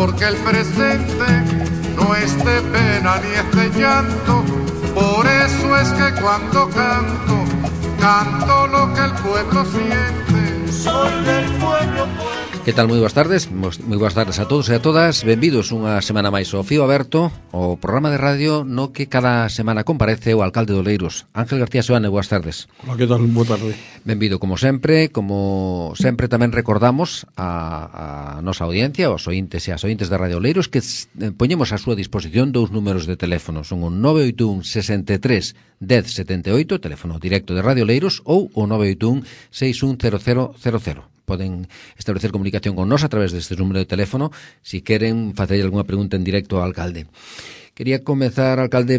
porque el presente no es de pena ni es de llanto. Por eso es que cuando canto, canto lo que el pueblo siente. Soy del pueblo. Que tal? Moi boas tardes a todos e a todas. Benvidos unha semana máis ao Fío Aberto, o programa de radio no que cada semana comparece o alcalde de Oleiros, Ángel García Seoane. Boas tardes. Hola, que tal? Boa tarde. Benvido como sempre tamén recordamos a nosa audiencia, os ointes e as ointes da Radio Oleiros, que poñemos a súa disposición dous números de teléfono, son o 981 63 10 78, teléfono directo de Radio Oleiros, ou o 981 610000. Poden establecer comunicación con nós a través deste número de teléfono si queren facer algunha pregunta en directo ao alcalde. Quería comezar, alcalde,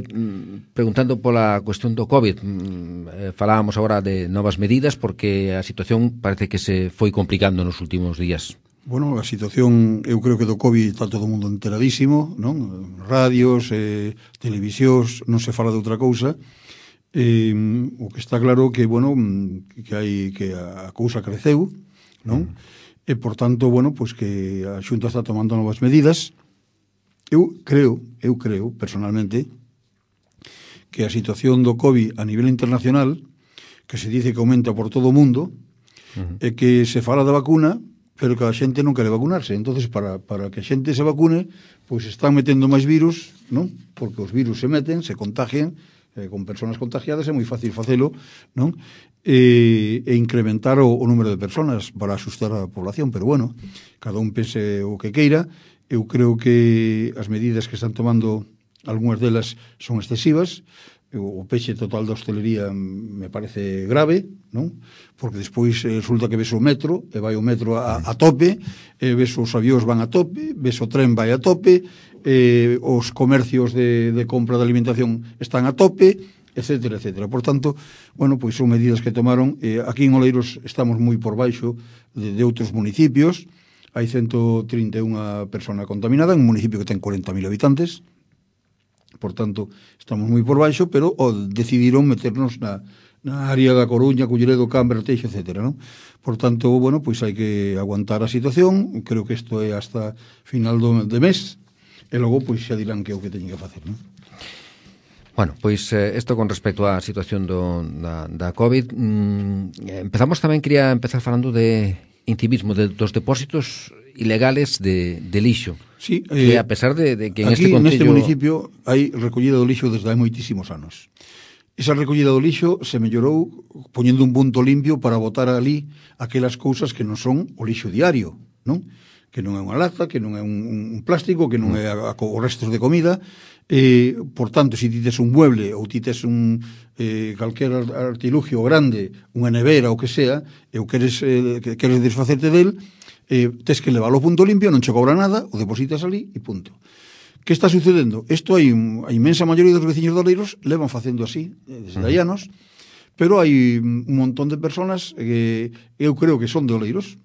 preguntando pola cuestión do COVID. Falábamos agora de novas medidas porque a situación parece que se foi complicando nos últimos días. Bueno, a situación, eu creo que do COVID está todo o mundo enteradísimo, non? Radios, televisións, non se fala de outra cousa. O que está claro que, bueno, que a cousa creceu, non? E, por tanto, bueno, pois que a Xunta está tomando novas medidas. Eu creo, personalmente, que a situación do COVID a nivel internacional, que se dice que aumenta por todo o mundo, é que se fala da vacuna, pero que a xente non quere vacunarse. Entonces, para que a xente se vacune, pois están metendo máis virus, non? Porque os virus se meten, se contagian, con persoas contagiadas é moi fácil facelo, non? E incrementar o número de persoas para asustar a población, pero bueno, cada un pense o que queira. Eu creo que as medidas que están tomando, algunhas delas son excesivas. O peche total da hostelería me parece grave, non? Porque despois resulta que ves o metro, e vai o metro a tope, ves os avións van a tope, ves o tren vai a tope, os comercios de compra de alimentación están a tope, etcétera, etcétera. Por tanto, bueno, pois son medidas que tomaron. Aquí en Oleiros estamos moi por baixo de outros municipios. Hai 131 persona contaminada en un municipio que ten 40.000 habitantes. Por tanto, estamos moi por baixo, pero decidiron meternos na área da Coruña, Culleredo, Cambre, Arteixo, etcétera, non? Por tanto, bueno, pois hai que aguantar a situación. Creo que isto é hasta final de mes, e logo pois xa dirán que é o que teñen que facer, non? Bueno, pois isto con respecto á situación da COVID. Empezamos tamén, quería empezar falando de incivismo, dos depósitos ilegales de lixo. Sí, que a pesar de que aquí neste neste municipio hai recollida do lixo desde hai moitísimos anos. Esa recollida do lixo se mellorou poñendo un punto limpio para botar ali aquelas cousas que non son o lixo diario, non? Que non é unha lata, que non é un plástico, que non é os restos de comida. Por tanto, se ti tes un mueble ou ti tes calquer artilugio grande, unha nevera ou que sea, e o queres desfacerte del, tes que leválo ao punto limpio, non che cobra nada, o depositas ali e punto. Que está sucedendo? Isto hai a inmensa maioría dos veciños de Oleiros levan facendo así desde hai anos, pero hai un montón de personas que eu creo que son de Oleiros,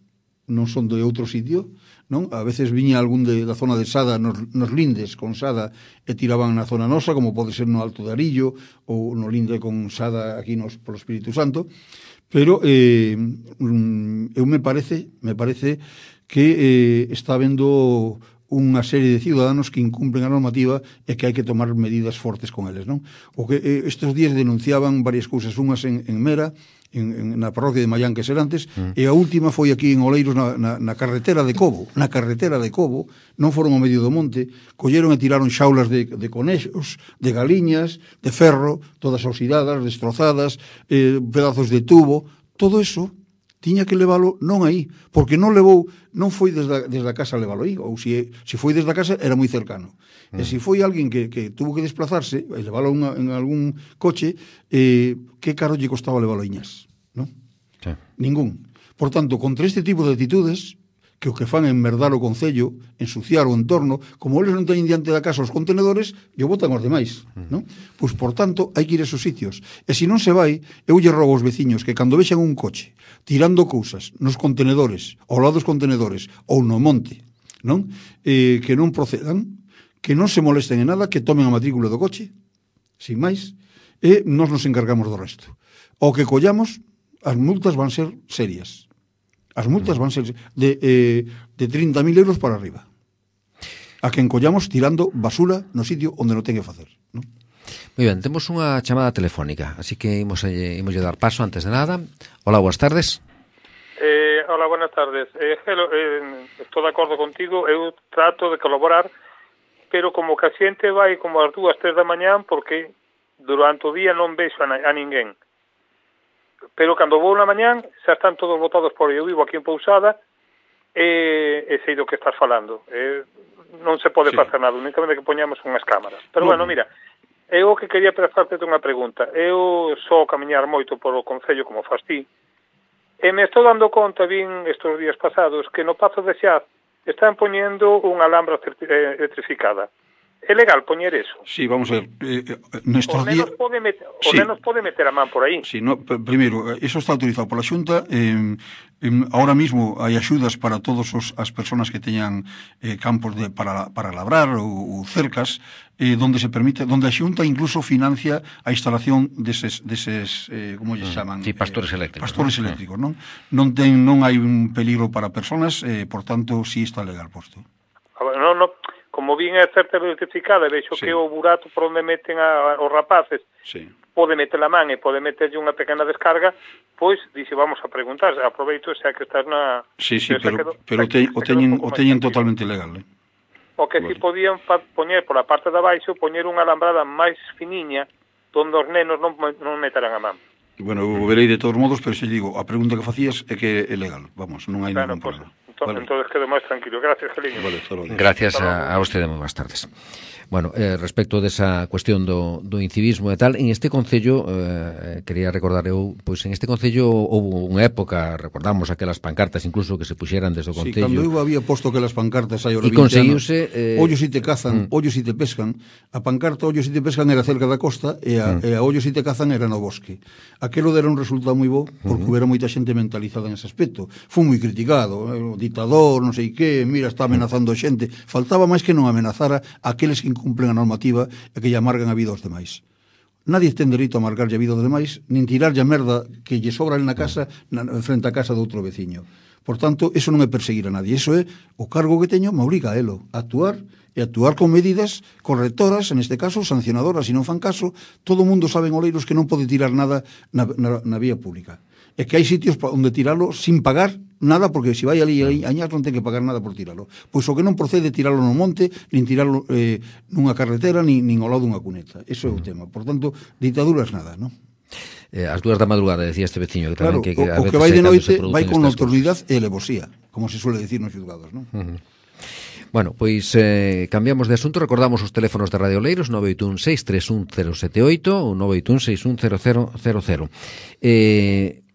non son de outro sitio, non? A veces viña algún da zona de Sada nos lindes con Sada e tiraban na zona nosa, como pode ser no Alto de Arillo ou no linde con Sada aquí polo Espírito Santo. Pero eu me parece que está habendo unha serie de ciudadanos que incumplen a normativa e que hai que tomar medidas fortes con eles, non? O que estes días denunciaban varias cousas, unhas en Mera, na parroquia de Mallán, que ser antes, e a última foi aquí en Oleiros na carretera de Cobo. Na carretera de Cobo, non foron ao medio do monte, colleron e tiraron xaulas de conexos, de galiñas, de ferro, todas oxidadas, destrozadas, pedazos de tubo. Todo eso tiña que leválo non aí, porque non foi desde a casa leválo aí, ou se foi desde a casa era moi cercano. E se foi alguén que tuvo que desplazarse e leválo en algún coche, que caro lle costaba leválo a Iñas, non? Sí. Ningún. Por tanto, contra este tipo de actitudes, que o que fan é enmerdar o concello, ensuciar o entorno, como eles non teñen diante da casa os contenedores, e o botan os demais, non? Pois, por tanto, hai que ir a esos sitios. E se non se vai, eu lle rogo aos veciños que cando vexan un coche tirando cousas nos contenedores, ao lado dos contenedores, ou no monte, non? Que non procedan, que non se molesten en nada, que tomen a matrícula do coche, sin máis, e nós nos encargamos do resto. O que collamos, as multas van ser serias. As multas van ser de 30.000 euros para arriba. a que encollamos tirando basura no sitio onde non ten que facer, non? Moi ben, temos unha chamada telefónica, así que imos dar paso antes de nada. Hola, boas tardes. Hola, buenas tardes. Estou de acordo contigo, eu trato de colaborar, pero como que a xente vai como ás 2, 3 da mañán, porque durante o día non vexo a ninguén. Pero cando vou na mañán, xa están todos botados por eu vivo aquí en Pousada, e sei do que estás falando. Non se pode facer nada, únicamente que poñamos unhas cámaras. Pero bueno, mira, eu que quería facerte unha pregunta. Eu só camiñar moito por o Concello como fas ti, e me estou dando conta, vin estes días pasados, que no Pazo de Xaz están poñendo unha alhambra electrificada. É legal poñer eso? Sí, vamos a ver. Nestos días... O nenos pode meter a man por aí. Sí, no, primeiro, eso está autorizado pola Xunta. Ahora mismo hai axudas para todas as persoas que teñan campos para labrar ou cercas, donde se permite, donde a Xunta incluso financia a instalación deses como lle chaman? Sí, pastores eléctricos. Pastores eléctricos, non? Non hai un peligro para persoas, por tanto, sí está legal posto. Non, como vin a certa electrificada, vexo que o burato por onde meten os rapaces pode meter a man e pode meterlle unha pequena descarga, pois, dixe, vamos a preguntar, aproveito xa que estás na... Sí, pero o teñen totalmente legal, O que si podían poñer por a parte de abaixo, poñer unha alambrada máis finiña, onde os nenos non meterán a man. Bueno, eu verei de todos modos, pero xe digo, a pregunta que facías é que é legal, vamos, non hai ningún problema. Entonces quedo máis tranquilo. Gracias, Geliño. Gracias a usted, moi boas tardes. Bueno, respecto desa cuestión do incivismo e tal, en este Concello, quería recordar eu, pois en este Concello houve unha época, recordamos aquelas pancartas incluso que se puxeran desde o Concello. Sí, cando eu había posto aquelas pancartas hai ora 20 anos, ollos si te cazan, ollos si te pescan, a pancarta ollos si te pescan era cerca da costa e a ollos si te cazan era no bosque. Aquelo dera un resultado moi bo, porque houbera moita xente mentalizada nese aspecto. Foi moi criticado, o ditador, non sei que, mira, está amenazando a xente. Faltaba máis que non amenazara aqueles que incumplen a normativa e que lle amargan a vida aos demais. Nadie ten dereito a amargarlle a vida aos demais, nin tirarlle a merda que lle sobra na casa, frente a casa do outro veciño. Por tanto, eso non é perseguir a nadie, eso é o cargo que teño, me obriga a elo, a actuar, e actuar con medidas correctoras, en este caso sancionadoras, se non fan caso, todo o mundo sabe en Oleiros que non pode tirar nada na vía pública. É que hai sitios onde tiralo sin pagar nada, porque se vai ali a añar non ten que pagar nada por tiralo. Pois o que non procede tiralo no monte, nin tiralo nunha carretera, nin ao lado dunha cuneta. Eso é o tema. Por tanto, ditaduras nada, non? As 2 da madrugada, decía este veciño, que tamén claro, que o que vai de noite vai con autoridade e alevosía, como se suele decir nos xulgados, non? Bueno, pois cambiamos de asunto, recordamos os teléfonos de Radio Oleiros 981-631-078 ou 981-610-000.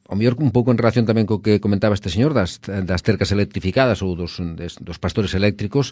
O mellor un pouco en relación tamén co que comentaba este señor das cercas electrificadas ou dos pastores eléctricos,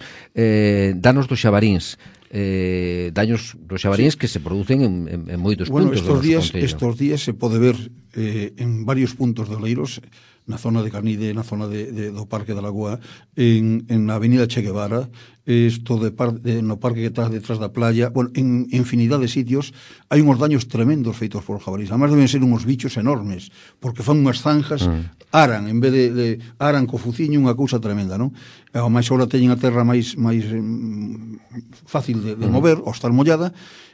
danos dos xabaríns, daños dos xabaríns que se producen en moitos puntos do noso Concello. Estos días se pode ver en varios puntos de Oleiros, na zona de Carnide, na zona do Parque da Lagoa, en a avenida Che Guevara, no parque que está detrás da playa, bueno, en infinidade de sitios, hai unhos daños tremendos feitos por jabalís. Además deben ser unhos bichos enormes, porque fan unhas zanjas, aran, en vez de aran co fuciño, unha cousa tremenda, non? E ao máis agora teñen a terra máis fácil de mover, ao estar mollada,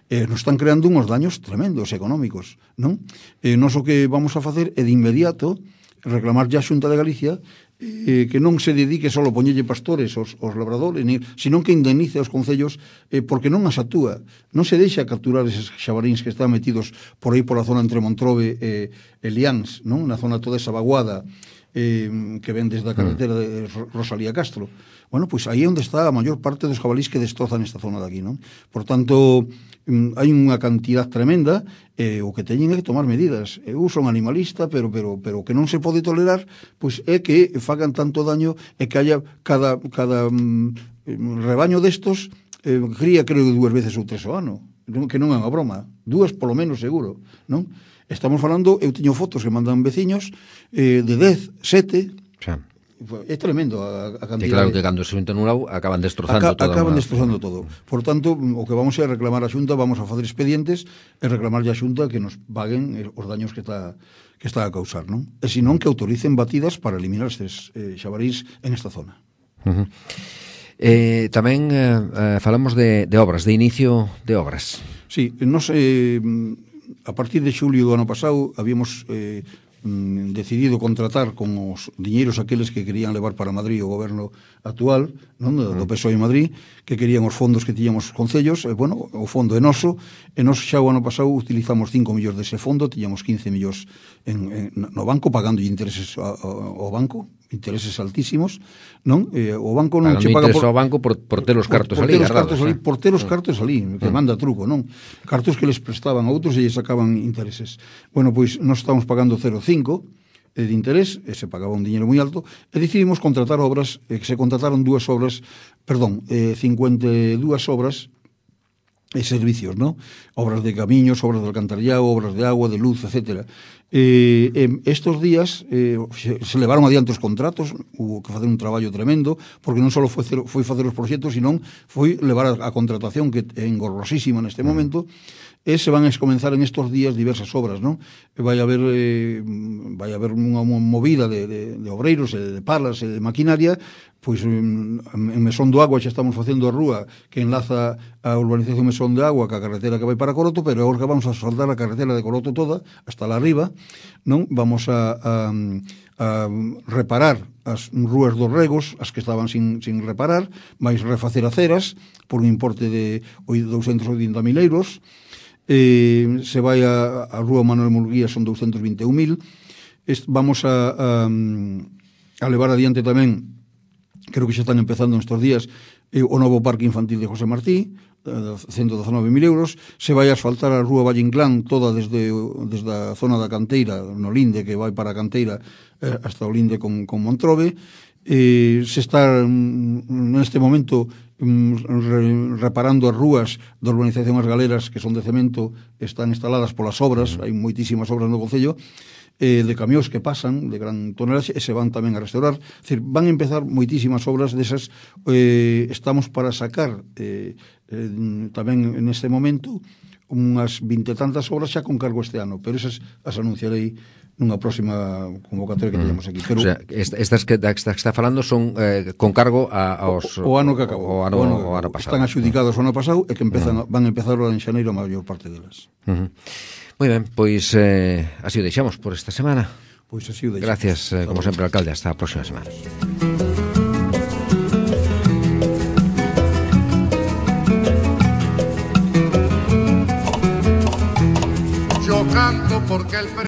nos están creando unhos daños tremendos económicos, non? Nos o que vamos a facer é de inmediato reclamar ya a Xunta de Galicia que non se dedique só a poñerlle pastores aos labradores, sino que indemnice aos concellos porque non as atúa, non se deixa capturar eses xabaríns que están metidos por aí pola zona entre Montrobe e Liáns, non? Na zona toda esa vaguada que ven desde a carretera de Rosalía Castro. Bueno, pois aí é onde está a maior parte dos jabalís que destrozan esta zona de aquí, non? Por tanto, hai unha cantidad tremenda o que teñen é que tomar medidas. Eu son animalista, pero o que non se pode tolerar pois é que fagan tanto daño e que haya cada rebaño destos cría, creo, 2 veces ou 3 ao ano, que non é unha broma, 2 polo menos seguro, non? Estamos falando, eu teño fotos que mandan veciños de 10, 7, xa. É tremendo a cantidad. E claro que cando se juntan un lado acaban destrozando todo. Acaban destrozando todo. Por tanto, o que vamos a reclamar a Xunta, vamos a facer expedientes e reclamarlle a Xunta que nos paguen os daños que está a causar, non? E senón que autoricen batidas para eliminar estes xabarís en esta zona. Tamén falamos de obras, de inicio de obras. Sí, nos, a partir de xulio do ano pasado habíamos decidido contratar con os diñeiros aqueles que querían levar para Madrid o goberno actual, non, do PSOE en Madrid, que querían os fondos que tiñamos os concellos, bueno, o fondo é noso, e nos xa o ano pasado utilizamos 5 millóns dese fondo, tiñamos 15 millóns no banco, pagando intereses ao banco, intereses altísimos, non? O banco non che paga ao banco por ter os cartos ali, por ter os cartos ali, que manda truco, non? Cartos que les prestaban a outros e lles sacaban intereses. Bueno, pois nós estamos pagando 0,5 de interés, e se pagaba un diñeiro moi alto, e decidimos contratar obras, que se contrataron 52 obras e servicios, ¿no? Obras de camiños, obras de alcantarillado, obras de agua, de luz, etcétera. Estos días se levaron adiante os contratos, hubo que facer un traballo tremendo, porque non só foi facer os proxectos, sino foi levar a contratación, que é engorrosísima neste momento, e se van a comenzar en estos días diversas obras, non? Vai haber unha movida de obreiros, de palas, de maquinaria, pois en Mesón do Agua xa estamos facendo a rúa que enlaza a urbanización Mesón do Agua ca carretera que vai para Coroto, pero agora que vamos a asfaltar a carretera de Coroto toda, hasta lá arriba, non? Vamos a reparar as rúas dos regos, as que estaban sin reparar, vais refacer aceras por un importe de 280.000 euros, se vai a rúa Manuel Murguía, son 221.000. Vamos a levar adiante tamén, creo que xa están empezando nestes días, o novo parque infantil de José Martí, 119.000 euros. Se vai a asfaltar a rúa Valle Inclán toda desde a zona da canteira, no Linde, que vai para a canteira hasta o Linde con Montrobe. Se está neste momento reparando as rúas da urbanización As Galeras, que son de cemento, están instaladas polas obras, hai moitísimas obras no concello, de camións que pasan de gran tonelaxe e se van tamén a restaurar. É dicir, van a empezar moitísimas obras desas. Estamos para sacar tamén neste momento unhas 20 e tantas obras xa con cargo este ano, pero esas as anunciarei nunha próxima convocatoria que teñamos aquí. Pero, o sea, estas que está falando son con cargo aos... O ano que acabou. O ano pasado. Están adxudicados o ano pasado e que van a empezar en xaneiro a maior parte delas. Moi ben, pois así o deixamos por esta semana. Pois así o deixamos. Gracias, como sempre, alcalde. Hasta a próxima semana. Yo canto porque el